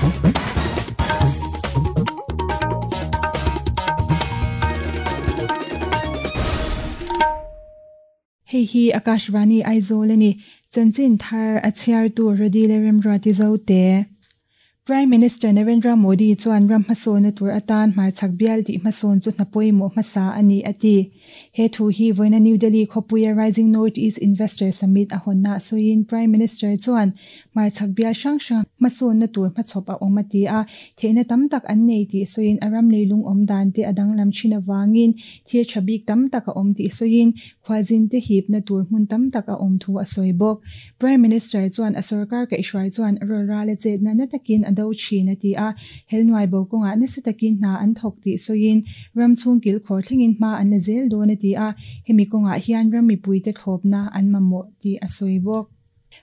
Hei hi Akashvani Aizawl a ni. Chanchin thar a chhiartu Rody leh Remruati Zote. Prime Minister Narendra Modi chuan ram hmasawnna tur atan hmarchhak bial tih hmasawn chu hna pawimawh hmasa a ni a ti. He thu hi vawiina New Delhi khawpuia Rising North East Investor Summit a hawnna sawiin Prime Minister chuan hmarchhak bial hrang hrang hmasawnna tur hmachhawp a awm a ti a, theihna tam tak an nei tih sawiin a ram leilung awm dan te a danglam thin avangin thil tha bik tam tak a awm tih sawiin Khualzin te hipna tur hmun tam tak a awm thu a sawi bawk. Prime Minister chuan a sorkar kaihhruai chuan rawlrala chetna na takin a do thin a ti a, helnuai bo kawngah nasa takin hna an thawk tih sawiin ram chhung kilkhawr thlengin hma an la zel dawn a ti a, hemi kawngah hian ram mipuite thlawpna an mamawh tih a sawi bawk.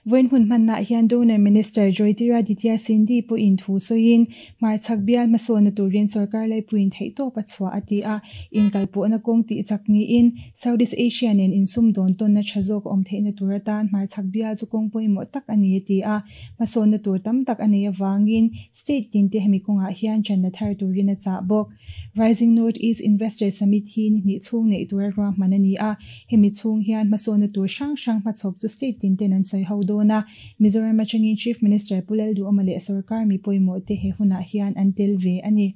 Vawiin hun hmannaah hian Donor Minister Jyotiraditya Sindhi pawhin thu sawiin, hmarchhak bial hmasawnna turin sorkar laipuiin theihtawp a chhuah a ti a, inkalpawhna kawng tih chak niin Southeast Asia nen insumdawn tawnna tha zawk a awm theihna tur atan hmarchhak bial chu kawng pawimawh tak a ni a ti a, hmasawnna tur tam tak a nei avangin State tinte hemi kawngah hian channa thar turin a chah bawk. Rising North East Investor Summit hi ni hnih chhung neih tura ruahman a ni a, hemi chhung hian hmasawnna tur hrang hrang hmachhawp chu state tinten an sawi ho dawn a. Mizoram atangin Chief Minister Pu Lalduhawma leh sorkar mi pawimawhte he hunah hian an tel ve a ni.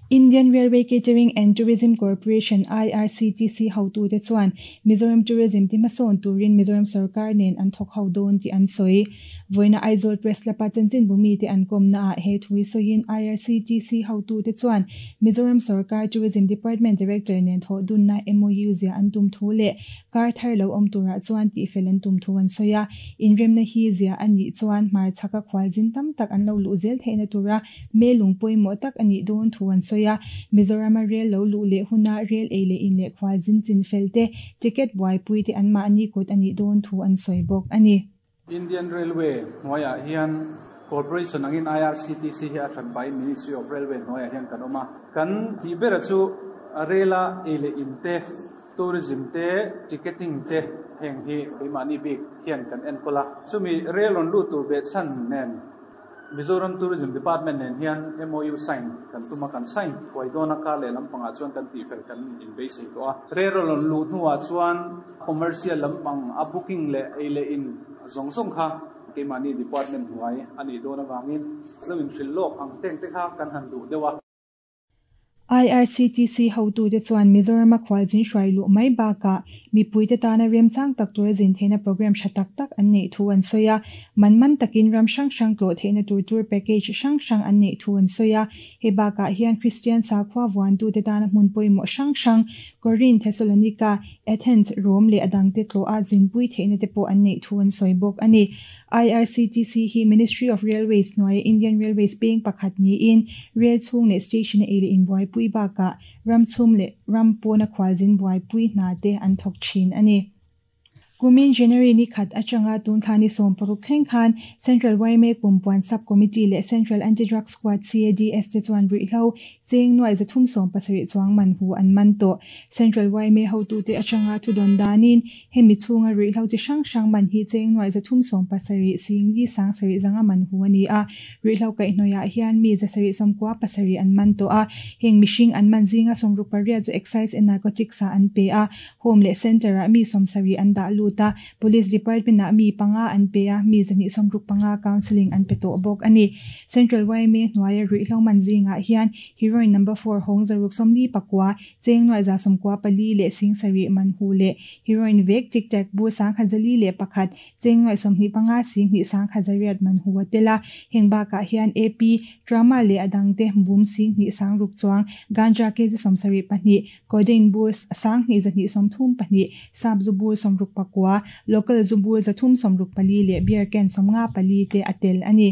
Indian Railway Catering and Tourism Corporation, IRCTC, hotute chuan Mizoram Tourism ti hmasawn turin Mizoram sorkar nen an thawk ho dawn tih an sawi. Vawiina Aizawl Press Club-a chanchinbu mite an kawmnaah he thu hi sawiin IRCTC hotute chuan Mizoram sorkar Tourism Department Director nen thawh dunna MOU ziah an tum thu leh kar thar lo awm turah chuan tihfel an tum thu an sawi a. Inremna hi ziah a nih chuan hmarchhaka khualzin tam tak an lo luh zel theihna tura Melung pawimawh tak a nih dawn thu an sawi a, Mizorama rel lo luh leh huna rel ei leh in leh khual zin chin fel te, ticket buaipui te anmahni kut a nih dawn thu an sawi bawk a ni. Indian Railway hnuaiah hian Corporation angin IRCTC hi a hran pahin Ministry of Railway hnuaiah hian kan awm a. Kan tih bera chu rela ei leh in te, tourism te, ticketing te heng hi keimahni bik hian kan enkawl a. Chumi rel rawn lut tur behchhan nen Mizoram Tourism Department nen hian MOU sign kan tum a, kan sign thuai dawn a, kar leh lampangah chuan kan tihfel kan inbeisei tawh a. Rel rawn luh hnuah chuan commercial lampang a booking leh ei leh in zawng zawng kha keimahni department hnuai a nih dawn avangin lo inhrilh lawk ang teng te kha kan han duh deuh a. IRCTC hotute chuan Mizorama khualzin hruai luh mai bakah mipuite tana remchang tak tura zin theihna programme tha tak tak an neih thu an sawi a. Man man takin ram hrang hrang tlawh theihna tur tour package hrang hrang an neih thu an sawi a. Hei bakah hian Kristian sakhua vuantute tana hmun pawimawh hrang hrang Korinth, Thessalonika, Athens, Rome leh a dangte tlawha zinpui theihna te pawh an neih thu an sawi bawk a ni. IRCTC hi Ministry of Railways hnuaia Indian Railways peng pakhat niin rel chhung leh station a ei leh inbuaipui bakah ram chhum leh ram pawna khualzin buaipui hna te an thawk thin a ni. Kumin January ni khat atanga tun thla ni 16 thleng khan Central yma Kumpuan Sub Committee leh Central Anti-Drug Squad, CADS, te chuan ruihhlo Cheng nuai 370 chuang man hu an man tawh. Central yma hotute atanga thudawn danin hemi chhunga ruihhlo chi hrang hrang man hi cheng nuai 370 singli sang sarih zanga man hu a ni a. Ruihhlo kaihhnawihah hian mi 797 an man tawh a. Heng mihring an man zinga 68 chu Excise and Narcotics ah an pe a. Home leh Centre-ah mi 70 an dah lut a. Police Department-ah mi panga an pe a, mi 265 counselling an pe tawh bawk a ni. Central yma hnuaia ruihhlo man zingah hian Heroin number four hawng 649, cheng nuai 94 leh sing sarih man hu leh Heroin vek tic tac bur 1101, cheng nuai 25 sing hnih 1100 man hu a tel a. Heng bakah hian AP, Trauma leh a dangte bum sing hnih 6000 chuang, Ganja kg 72, Codeine bur 2234, sap zu bur 69, local zu bur 364 leh beer can 54 te a tel a ni.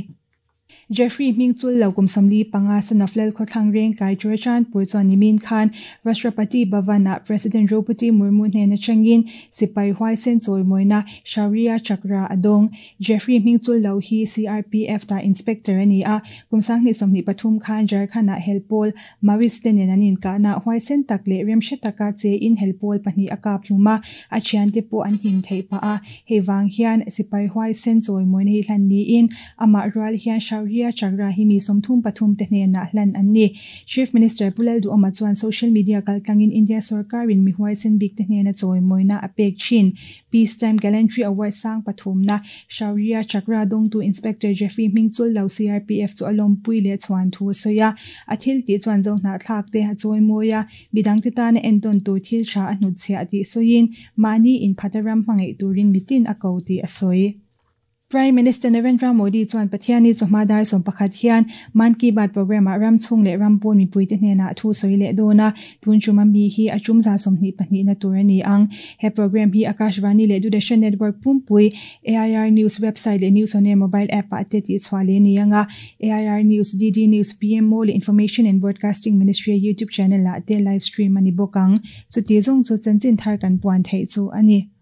Jeffrey hming chul lo kum 45 Sanaflel khawthlang reng kai Churachandpur chuan nimin khan Rashtrapati Bhavan-ah President Droupadi Murmu hnen atangin sipai huaisen chawimawina Shaurya Chakra a dawng. Jeffrey hming chul lo hi CRPF ta inspector a ni a, kum 2023 khan Jharkhand-ah helpawl Maoist te nen an inkahna huaisen tak leh remhre taka che in helpawl pahnih a kap hlum a, a thiante pawh an him theih pah a. Hei vang hian sipai huaisen chawimawina hi hlan niin amah rual hian Shaurya Shaurya Chakra hi mi 33 te hnenah hlan an ni. Chief Minister Pu Lalduhoma chuan social media kaltlangin India sorkarin mi huaisen bik te hnena chawimawina a pek thin. Peacetime Gallantry Award sang pathumna Shaurya Chakra dawngtu Inspector Jeffrey Hmingchul lo CRPF chu a lawmpui leh chhuan thu a sawi a. A thil tih chuan zohnahthlak te a chawimawi a, midangte tana entawn tur thil tha a hnutchhiah tih sawiin mahni inphata ram hmangaih turin mitin a ko tih a sawi. Prime Minister Narendra Modi chuan Pathianni chawhma dar 11 hian Mann Ki Baat programme-ah ram chhung leh ram pawn mipuite hnenah thu sawi leh dawn a, tun tum a mi hi a tum 22na tur a ni ang. He programme hi Akashvani leh Doordarshan Network pumpui, AIR News website leh News On Air mobile app-ah te tihchhuah leh a ni ang a, AIR News, DD News, PMO leh Information and Broadcasting Ministry-a YouTube channel-ah te live stream a ni bawk ang. Chuti zawng chu chanchin thar kan puan theih chu a ni.